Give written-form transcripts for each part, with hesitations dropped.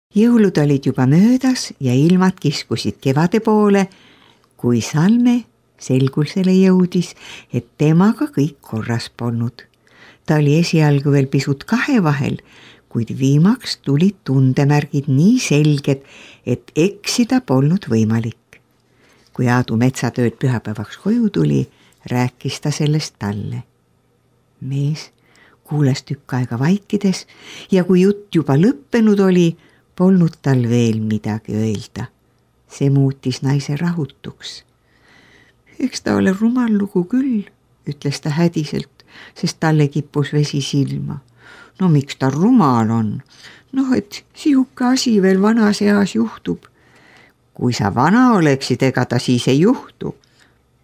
Jõulud olid juba möödas ja ilmad kiskusid kevade poole, kui Salme selgusele jõudis, et temaga kõik korras polnud. Ta oli esialgu veel pisut kahe vahel, kuid viimaks tulid tundemärgid nii selged, et eksida polnud võimalik. Kui Aadu metsatööd pühapäevaks koju tuli, rääkis ta sellest talle. Mees kuulas tükk aega vaikides ja kui jutt juba lõppenud oli, polnud tal veel midagi öelda. See muutis naise rahutuks. Eks ta ole rumal lugu küll, ütles ta hädiselt, sest talle kippus vesi silma. No miks ta rumal on? Noh, et sihuke asi veel vanas eas juhtub. Kui sa vana oleksid, ega ta siis ei juhtu.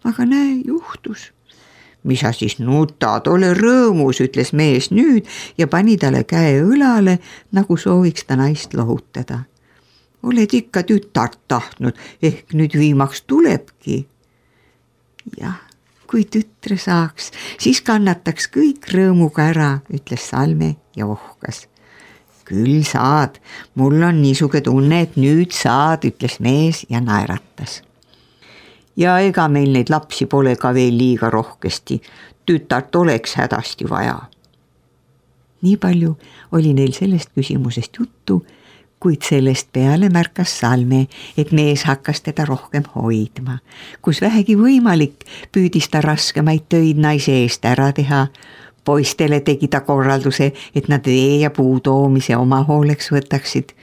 Aga näe, juhtus. Mis sa siis nutad, ole rõõmus, ütles mees nüüd ja pani talle käe õlale, nagu sooviks ta naist lohutada. Oled ikka tütart tahtnud, ehk nüüd viimaks tulebki. Jah, kui tütre saaks, siis kannataks kõik rõõmuga ära, ütles Salme ja ohkas. Küll saad, mul on niisuke tunne, et nüüd saad, ütles mees ja naeratas. Ja ega meil neid lapsi pole ka veel liiga rohkesti, tütart oleks hädasti vaja. Nii palju oli neil sellest küsimusest juttu, kuid sellest peale märkas Salme, et mees hakkas teda rohkem hoidma. Kus vähegi võimalik, püüdis ta raskemaid töid naise eest ära teha. Poistele tegi ta korralduse, et nad vee ja puu toomise oma hooleks võtaksid.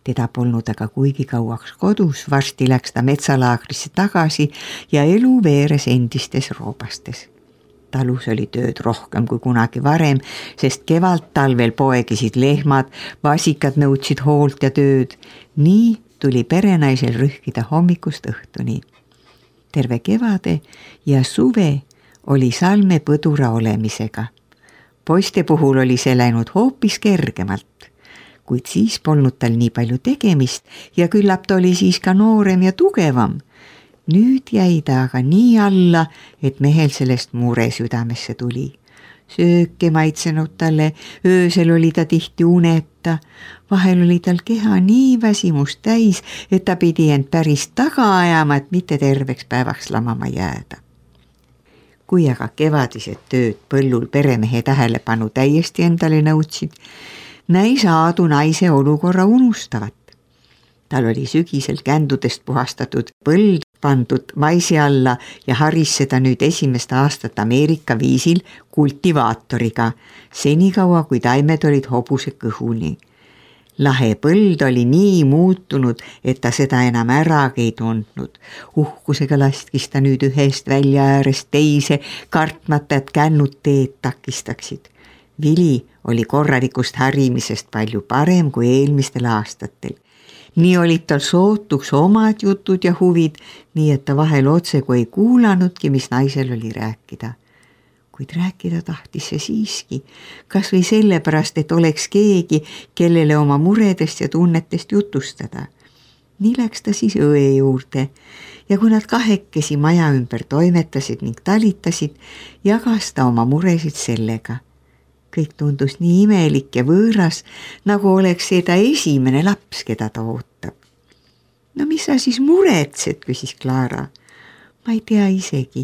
Teda polnud aga kuigi kauaks kodus, varsti läks ta metsalaagrisse tagasi ja elu veeres endistes roobastes. Talus oli tööd rohkem kui kunagi varem, sest kevalt talvel poegisid lehmad, vasikad nõudsid hoolt ja tööd. Nii tuli perenaisel rühkida hommikust õhtuni. Terve kevade ja suve oli Salme põdura olemisega. Poiste puhul oli see läinud hoopis kergemalt. Kuid siis polnud tal nii palju tegemist ja küllap ta oli siis ka noorem ja tugevam. Nüüd jäi ta aga nii alla, et mehel sellest mure südamesse tuli. Sööke maitsenud talle, öösel oli ta tihti uneta. Vahel oli tal keha nii väsimust täis, et ta pidi end päris taga ajama, et mitte terveks päevaks lamama jääda. Kui aga kevadised tööd põllul peremehe tähelepanu täiesti endale nõudsid, näis Aadu naise olukorra unustavat. Tal oli sügisel kändudest puhastatud põld pandud maisi alla ja haris seda nüüd esimest aastat Ameerika viisil kultivaatoriga, senikaua kui taimed olid hobuse kõhuni. Lahe põld oli nii muutunud, et ta seda enam äragi ei tundnud. Uhkusega laskis ta nüüd ühest välja äärest teise, kartmata, et kännud teed takistaksid. Vili oli korralikust harimisest palju parem kui eelmistel aastatel. Nii olid tal sootuks omad jutud ja huvid, nii et ta vahel otsegu ei kuulanudki, mis naisel oli rääkida. Kuid rääkida tahtis see siiski, kas või sellepärast, et oleks keegi, kellele oma muredest ja tunnetest jutustada. Nii läks ta siis õe juurde ja kui nad kahekesi maja ümber toimetasid ning talitasid, jagas ta oma muresid sellega. Kõik tundus nii imelik ja võõras, nagu oleks see ta esimene laps, keda ta ootab. No mis sa siis muretsed, küsis Klaara. Ma ei tea isegi,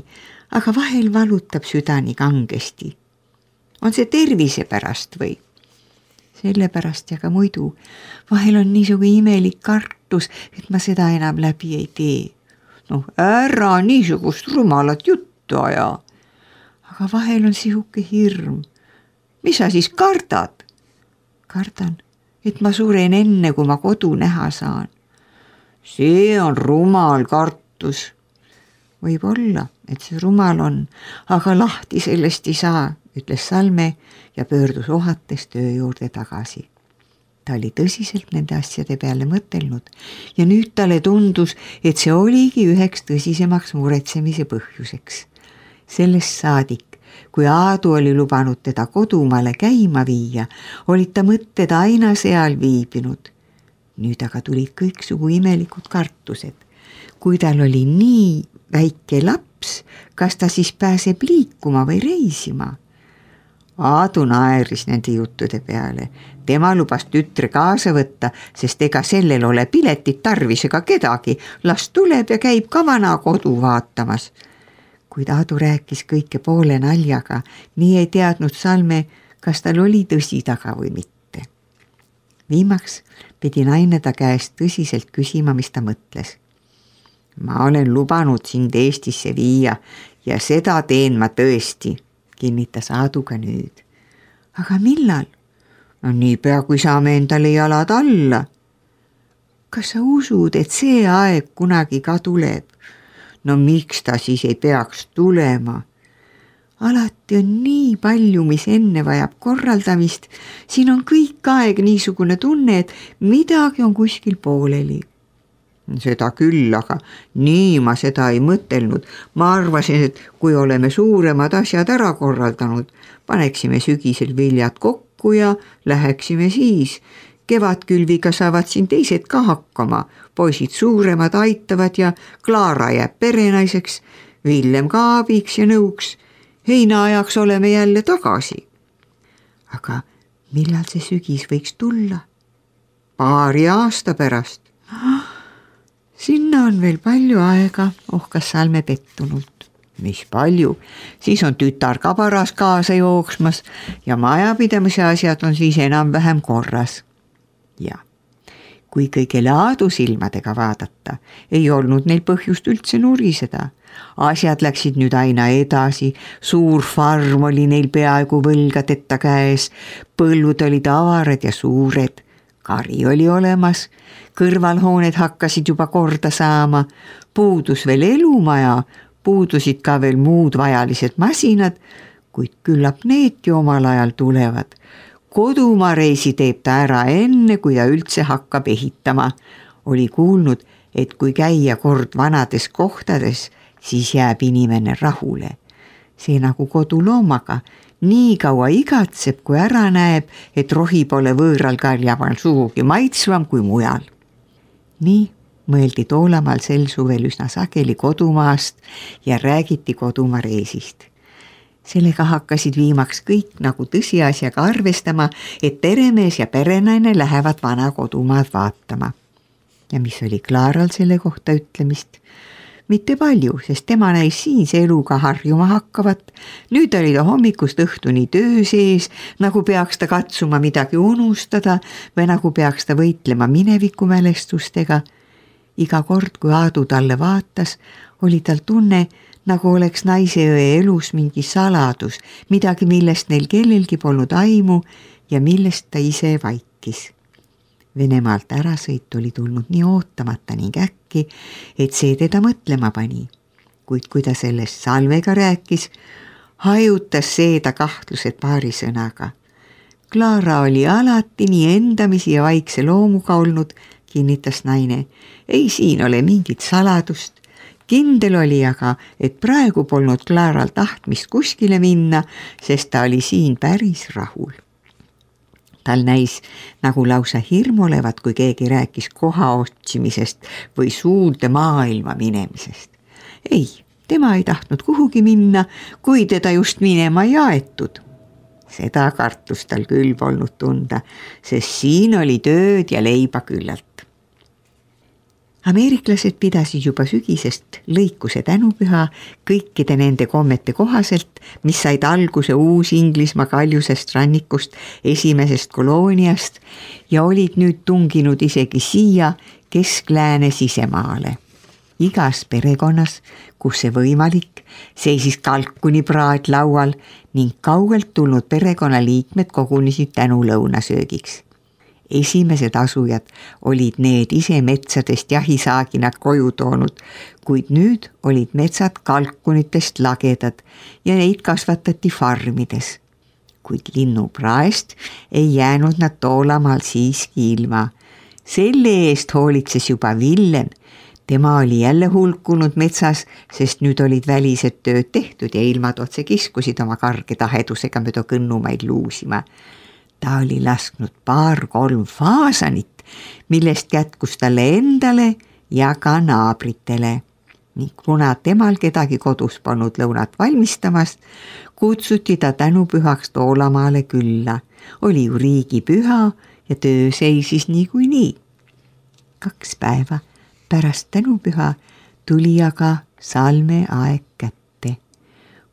aga vahel valutab süda nii kangesti. On see tervise pärast või? Sellepärast ja ka muidu. Vahel on niisugu imelik kartus, et ma seda enam läbi ei tee. No ära niisugust rumalat juttu aja. Aga vahel on sihuke hirm. Mis sa siis kardad? Kardan, et ma suren enne, kui ma kodu näha saan. See on rumal kartus. Võib olla, et see rumal on, aga lahti sellest ei saa, ütles Salme ja pöördus ohates töö juurde tagasi. Ta oli tõsiselt nende asjade peale mõtelnud ja nüüd talle tundus, et see oligi üheks tõsisemaks muretsemise põhjuseks. Sellest saadik, kui Aadu oli lubanud teda kodumaale käima viia, olid ta mõtted aina seal viibinud. Nüüd aga tulid kõiksugu imelikud kartused. Kui tal oli nii väike laps, kas ta siis pääseb liikuma või reisima? Aadu naeris nende juttude peale. Tema lubas tütre kaasa võtta, sest ega sellel ole piletit tarvis ega kedagi. Las tuleb ja käib ka vana kodu vaatamas. Kuid Aadu rääkis kõike poole naljaga, nii ei teadnud Salme, kas tal oli tõsi taga või mitte. Viimaks pidi naine ta käest tõsiselt küsima, mis ta mõtles. Ma olen lubanud sind Eestisse viia ja seda teen ma tõesti, kinnitas Aadu ka nüüd. Aga millal? No niipea, kui saame endale jalad alla. Kas sa usud, et see aeg kunagi ka tuleb? No miks ta siis ei peaks tulema? Alati on nii palju, mis enne vajab korraldamist. Siin on kõik aeg niisugune tunne, et midagi on kuskil pooleli. Seda küll, aga nii ma seda ei mõtelnud. Ma arvasin, et kui oleme suuremad asjad ära korraldanud, paneksime sügisel viljad kokku ja läheksime siis. Kevadkülviga saavad siin teised ka hakkama. Poisid suuremad aitavad ja Klaara jääb perenaiseks, Villem ka abiks ja nõuks. Heinaajaks oleme jälle tagasi. Aga millal see sügis võiks tulla? Paari aasta pärast. Sinna on veel palju aega, ohkas Salme pettunult. Mis palju? Siis on tütar ka paras kaasa jooksmas ja majapidamise asjad on siis enam-vähem korras. Ja kui kõigele Aadu silmadega vaadata, ei olnud neil põhjust üldse nuriseda. Asjad läksid nüüd aina edasi, suur farm oli neil peaaegu võlgadeta käes, põllud olid avarad ja suured, kari oli olemas, kõrvalhooned hakkasid juba korda saama, puudus veel elumaja, puudusid ka veel muud vajalised masinad, kuid küllap needki omal ajal tulevad. Kodumareisi teeb ta ära enne, kui ta üldse hakkab ehitama. Oli kuulnud, et kui käia kord vanades kohtades, siis jääb inimene rahule. See nagu koduloomaga, nii kaua igatseb, kui ära näeb, et rohi pole võõral karjamal sugugi maitsvam kui mujal. Nii mõeldi Toolamaal sel suvel üsna sageli kodumaast ja räägiti kodumareisist. Sellega hakkasid viimaks kõik nagu tõsiasjaga arvestama, et peremees ja perenaine lähevad vana kodumaad vaatama. Ja mis oli Klaaral selle kohta ütlemist? Mitte palju, sest tema näis siinse eluga harjuma hakkavat. Nüüd oli ta hommikust õhtuni töö sees, nagu peaks ta katsuma midagi unustada või nagu peaks ta võitlema minevikumälestustega. Iga kord, kui Aadu talle vaatas, oli tal tunne, nagu oleks naiseõe elus mingi saladus, midagi, millest neil kellelgi polnud aimu ja millest ta ise vaikis. Venemaalt ärasõit oli tulnud nii ootamata ning äkki, et see teda mõtlema pani. Kuid kui ta sellest Salmega rääkis, hajutas see ta kahtlused paari sõnaga. Klaara oli alati nii endamisi ja vaikse loomuga olnud, kinnitas naine. Ei siin ole mingit saladust. Kindel oli aga, et praegu polnud Klaaral tahtmist kuskile minna, sest ta oli siin päris rahul. Tal näis nagu lausa hirm olevat, kui keegi rääkis koha otsimisest või suurde maailma minemisest. Ei, tema ei tahtnud kuhugi minna, kui teda just minema ei aetud. Seda kartust tal küll polnud tunda, sest siin oli tööd ja leiba küllalt. Ameeriklased pidasid juba sügisest lõikuse tänupüha kõikide nende kommete kohaselt, mis said alguse Uus-Inglismaa kaljusest rannikust esimesest kolooniast ja olid nüüd tunginud isegi siia Kesk-Lääne sisemaale. Igas perekonnas, kus see võimalik, seisis kalkunipraad laual ning kaugelt tulnud perekonnaliikmed kogunesid tänulõunasöögiks. Esimesed asujad olid need ise metsadest jahisaaginad koju toonud, kuid nüüd olid metsad kalkunitest lagedad ja neid kasvatati farmides. Kuid linnupraest ei jäänud nad Toolamaal siiski ilma. Selle eest hoolitses juba Villem. Tema oli jälle hulkunud metsas, sest nüüd olid välised tööd tehtud ja ilmad otse kiskusid oma karge tahedusega mööda kõnnumaid luusima. Ta oli lasknud 2-3 faasanit, millest kätkus talle endale ja ka naabritele. ning kuna temal kedagi kodus polnud lõunat valmistamas, kutsuti ta tänupühaks Toolamaale külla. Oli ju riigipüha ja töö seisis niikuinii. 2 päeva pärast tänupüha tuli aga Salme aeg kätte.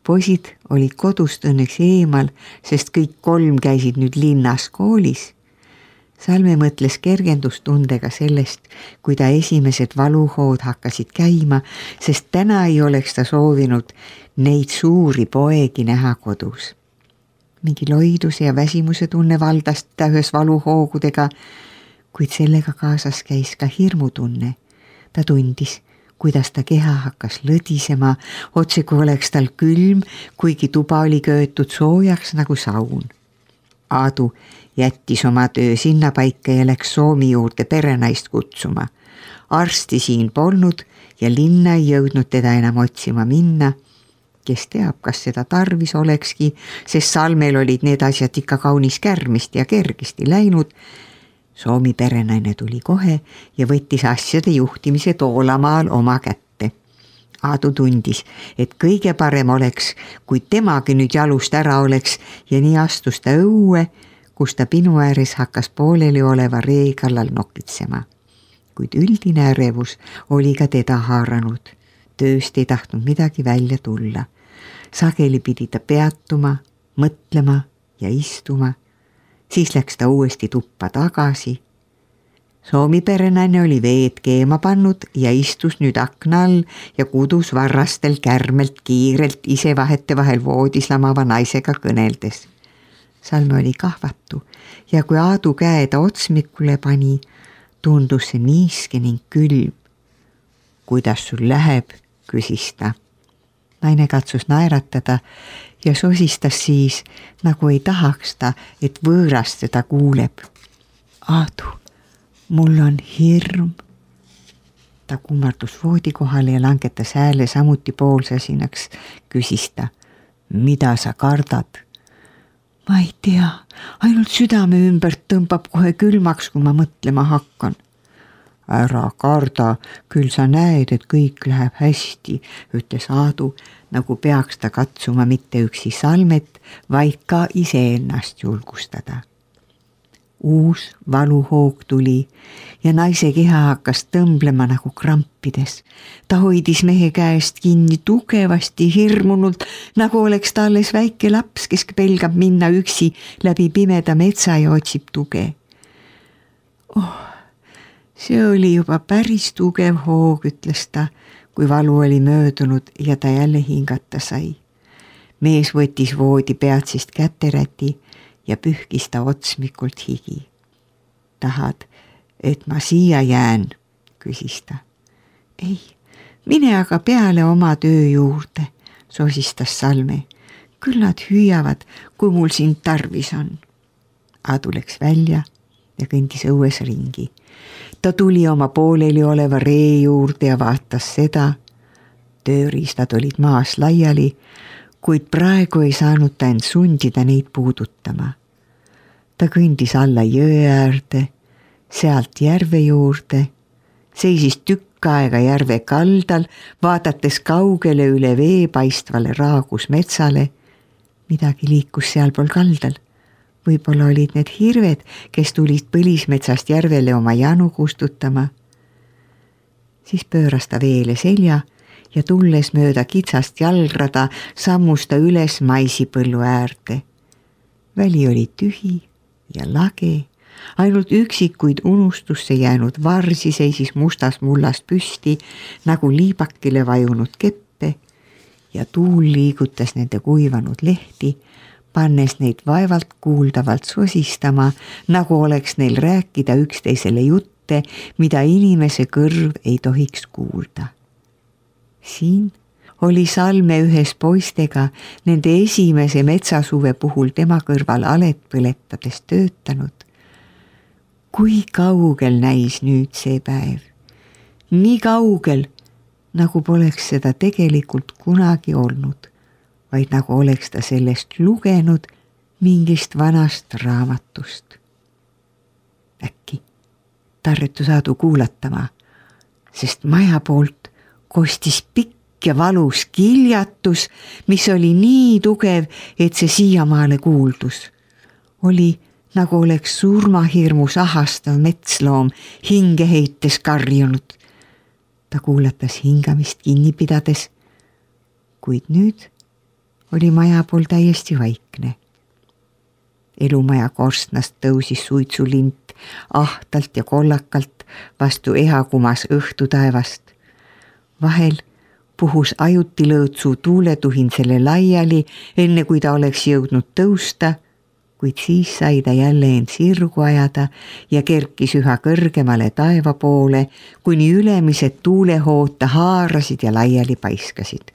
Poisid olid kodust õnneks eemal, sest kõik 3 käisid nüüd linnas koolis. Salme mõtles kergendustundega sellest, kui ta esimesed valuhood hakkasid käima, sest täna ei oleks ta soovinud neid suuri poegi näha kodus. Mingi loiduse ja väsimuse tunne valdas ta ühes valuhoogudega, kuid sellega kaasas käis ka hirmutunne. Ta tundis, kuidas ta keha hakkas lõdisema, otse kui oleks tal külm, kuigi tuba oli köötud soojaks nagu saun. Aadu jättis oma töö sinnapaika ja läks Soomi juurde perenaist kutsuma. Arsti siin polnud ja linna ei jõudnud teda enam otsima minna. Kes teab, kas seda tarvis olekski, sest Salmel olid need asjad ikka kaunis kärmist ja kergesti läinud. Soomi perenaine tuli kohe ja võttis asjade juhtimise Toolamaal oma kätte. Aadu tundis, et kõige parem oleks, kui temagi nüüd jalust ära oleks ja nii astus ta õue, kus ta pinu ääres hakkas pooleli oleva ree kallal nokitsema. Kuid üldine ärevus oli ka teda haaranud. Tööst ei tahtnud midagi välja tulla. Sageli pidi ta peatuma, mõtlema ja istuma. Siis läks ta uuesti tuppa tagasi. Soomi perenaine oli veed keema pannud ja istus nüüd akna all ja kudus varrastel kärmelt kiirelt ise vahetevahel voodis lamava naisega kõneldes. Salme oli kahvatu ja kui Aadu käe ta otsmikule pani, tundus see niiske ning külm. Kuidas sul läheb, küsis ta. Naine katsus naeratada ja sosistas siis, nagu ei tahaks ta, et võõrast teda kuuleb. Aadu, mul on hirm. Ta kummardus voodi kohale ja langetas hääle samuti poolsasinaks, küsis ta. Mida sa kardad? Ma ei tea, ainult südame ümbert tõmbab kohe külmaks, kui ma mõtlema hakkan. Ära karda, küll sa näed, et kõik läheb hästi, ütles Aadu, nagu peaks ta katsuma mitte üksi Salmet, vaid ka iseennast julgustada. Uus valuhoog tuli ja naise keha hakkas tõmblema nagu krampides. Ta hoidis mehe käest kinni tugevasti hirmunult, nagu oleks ta alles väike laps, kes pelgab minna üksi läbi pimeda metsa ja otsib tuge. See oli juba päris tugev hoog, ütles ta, kui valu oli möödunud ja ta jälle hingata sai. Mees võttis voodi peatsist käteräti ja pühkis ta otsmikult higi. Tahad, et ma siia jään, küsis ta. Ei, mine aga peale oma töö juurde, sosistas Salme. Küll nad hüüavad, kui mul sind tarvis on. Aadu läks välja ja kõndis õues ringi. Ta tuli oma pooleli oleva ree juurde ja vaatas seda. Tööriistad olid maas laiali, kuid praegu ei saanud ta end sundida neid puudutama. Ta kõndis alla jõe äärde, sealt järve juurde, seisis tükk aega järve kaldal, vaadates kaugele üle vee paistvale raagus metsale. Midagi liikus sealpool kaldal. Võib-olla olid need hirved, kes tulid põlismetsast järvele oma janu kustutama. Siis pööras ta veele selja ja tulles mööda kitsast jalgrada sammus ta üles maisipõllu äärde. Väli oli tühi ja lage, ainult üksikuid unustusse jäänud varsi seisis mustas mullast püsti nagu liibakile vajunud keppe ja tuul liigutas nende kuivanud lehti, pannes neid vaevalt kuuldavalt sosistama, nagu oleks neil rääkida üksteisele jutte, mida inimese kõrv ei tohiks kuulda. Siin oli Salme ühes poistega nende esimese metsasuve puhul tema kõrval alet põletades töötanud. Kui kaugel näis nüüd see päev? Nii kaugel, nagu poleks seda tegelikult kunagi olnud, vaid nagu oleks ta sellest lugenud mingist vanast raamatust. Äkki tarretus Aadu kuulatama, sest maja poolt kostis pikk ja valus kiljatus, mis oli nii tugev, et see siiamaale kuuldus. Oli nagu oleks surmahirmus ahastav metsloom hinge heites karjunud. Ta kuulatas hingamist kinni pidades, kuid nüüd oli maja pool täiesti vaikne. Elumaja korstnast tõusis suitsulint ahtalt ja kollakalt vastu ehakumas õhtutaevast. Vahel puhus ajuti lõõtsu tuuletuhin selle laiali, enne kui ta oleks jõudnud tõusta, kuid siis sai ta jälle end sirgu ajada ja kerkis üha kõrgemale taeva poole, kuni ülemised tuulehood ta haarasid ja laiali paiskasid.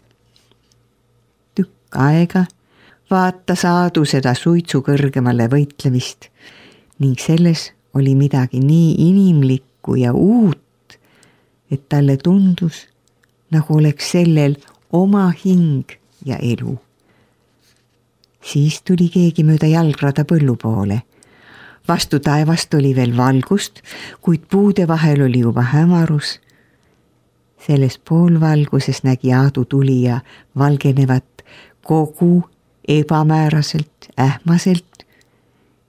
Tükk aega vaatas Aadu seda suitsu kõrgemale võitlemist ning selles oli midagi nii inimlikku ja uut, et talle tundus, nagu oleks sellel oma hing ja elu. Siis tuli keegi mööda jalgrada põllu poole. Vastu taevast oli veel valgust, kuid puude vahel oli juba hämarus. Selles poolvalguses nägi Aadu tulija valgenevat kogu ebamääraselt, ähmaselt.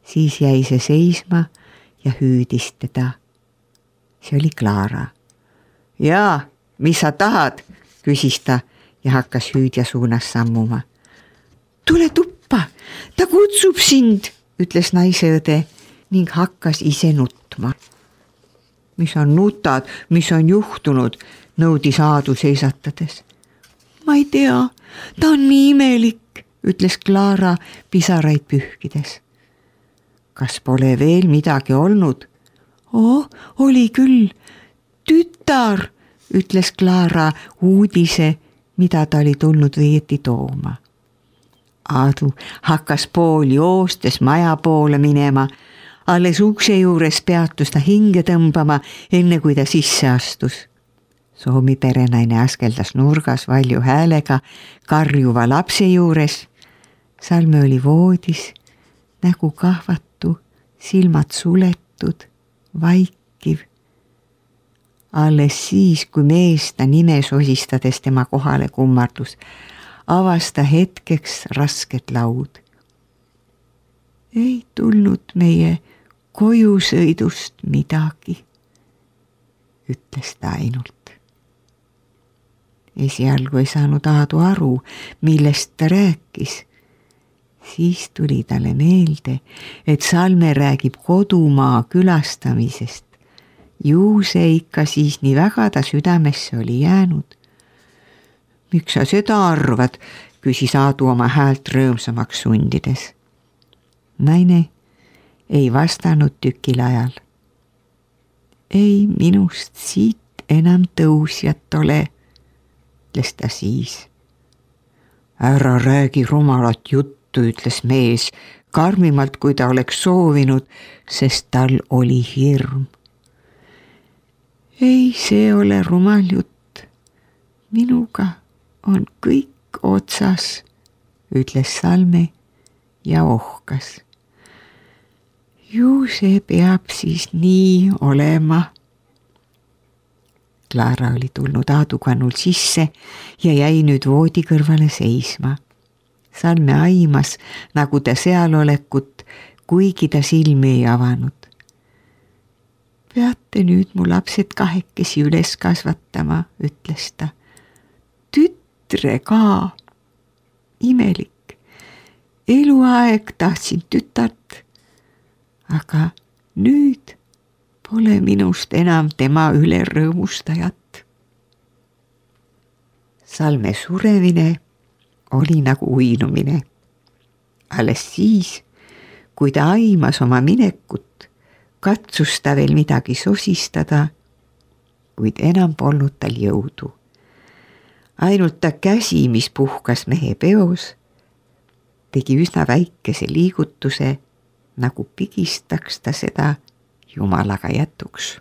Siis jäi see seisma ja hüüdis teda. See oli Klaara. Jaa, mis sa tahad, küsis ta ja hakkas hüüdja suunas sammuma. Tule tuppa, ta kutsub sind, ütles naiseõde ning hakkas ise nutma. Mis on nutad, mis on juhtunud, nõudis Aadu seisatades. Ma ei tea, ta on nii imelik, ütles Klaara pisaraid pühkides. Kas pole veel midagi olnud? Oli küll, tütar, ütles Klaara uudise, mida ta oli tulnud veeti tooma. Aadu hakkas pool joostes maja poole minema, alles ukse juures peatus ta hinge tõmbama, enne kui ta sisse astus. Soomi perenaine askeldas nurgas valju häälega karjuva lapse juures. Salme oli voodis, nägu kahvatu, silmad suletud, vaikiv. Alles siis, kui mees ta nimes osistades tema kohale kummardus, avas ta hetkeks rasket laud. Ei tulnud meie kojusõidust midagi, ütles ta ainult. Esialgu ei saanud Aadu aru, millest ta rääkis. Siis tuli talle meelde, et Salme räägib kodumaa külastamisest. Ju see ikka siis nii väga ta südamesse oli jäänud. Miks sa seda arvad, küsis Aadu oma häält rõõmsamaks sundides. Naine ei vastanud tükil ajal. Ei minust siit enam tõusjat ole, ütles ta siis. Ära räägi rumalat juttu, ütles mees, karmimalt kui ta oleks soovinud, sest tal oli hirm. Ei, see ole rumal jutt. Minuga on kõik otsas, ütles Salme ja ohkas. Ju see peab siis nii olema. Klaara oli tulnud Aadu kannul sisse ja jäi nüüd voodi kõrvale seisma. Salme aimas, nagu ta seal olekut, kuigi ta silmi ei avanud. Peate nüüd mu lapsed kahekesi üles kasvatama, ütles ta. Tütre ka. Imelik. Eluaeg tahtsin tütart, aga nüüd pole minust enam tema üle rõõmustajat. Salme suremine oli nagu uinumine. Alles siis, kui ta aimas oma minekut, katsus ta veel midagi sosistada, kuid enam polnud tal jõudu. Ainult ta käsi, mis puhkas mehe peos, tegi üsna väikese liigutuse, nagu pigistaks ta seda Jumalaga jätuks.